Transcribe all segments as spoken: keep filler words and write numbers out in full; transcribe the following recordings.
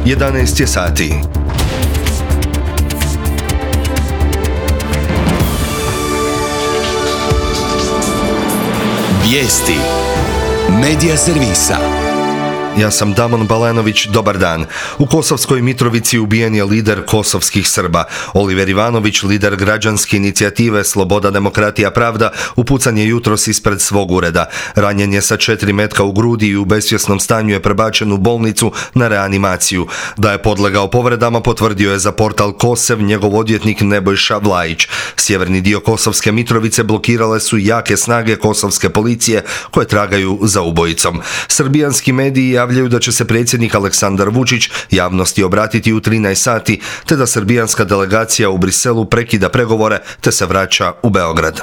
jedanaest je sati. Vijesti Medija servisa. Ja sam Damon Balenović, dobar dan. U Kosovskoj Mitrovici ubijen je lider kosovskih Srba. Oliver Ivanović, lider građanske inicijative Sloboda, demokratija, pravda, upucan je jutros ispred svog ureda. Ranjen je sa četiri metka u grudi i u besvjesnom stanju je prebačen u bolnicu na reanimaciju. Da je podlegao povredama potvrdio je za portal Kosev njegov odvjetnik Nebojša Vlajić. Sjeverni dio Kosovske Mitrovice blokirale su jake snage kosovske policije koje tragaju za ubojicom. Srbijanski mediji javljaju da će se predsjednik Aleksandar Vučić javnosti obratiti u trinaest sati, te da srbijanska delegacija u Briselu prekida pregovore te se vraća u Beograd.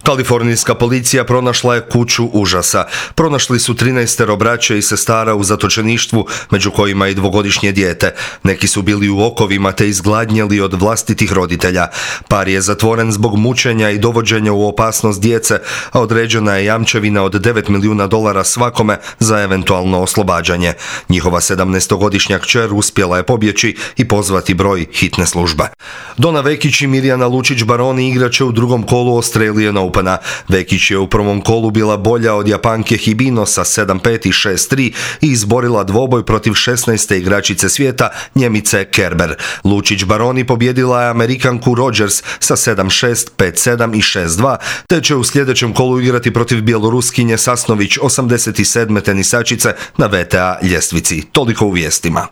Kalifornijska policija pronašla je kuću užasa. Pronašli su trinaestero braće i sestara u zatočeništvu, među kojima i dvogodišnje dijete. Neki su bili u okovima te izgladnjeli od vlastitih roditelja. Par je zatvoren zbog mučenja i dovođenja u opasnost djece, a određena je jamčevina od devet milijuna dolara svakome za eventualno oslobađanje. Njihova sedamnaestogodišnja kćer uspjela je pobjeći i pozvati broj hitne službe. Dona Vekić i Mirjana Lučić-Baroni igraće u drugom kolu Australian Opena. Vekić je u prvom kolu bila bolja od Japanke Hibino sa sedam pet i šest tri i izborila dvoboj protiv šesnaeste igračice svijeta, Njemice Kerber. Lučić-Baroni pobjedila je Amerikanku Rogers sa sedam šest, pet sedam i šest dva, te će u sljedećem kolu igrati protiv Bjeloruskinje Sasnović, osamdeset sedme tenisačice na V T A ljestvici. Toliko u vijestima.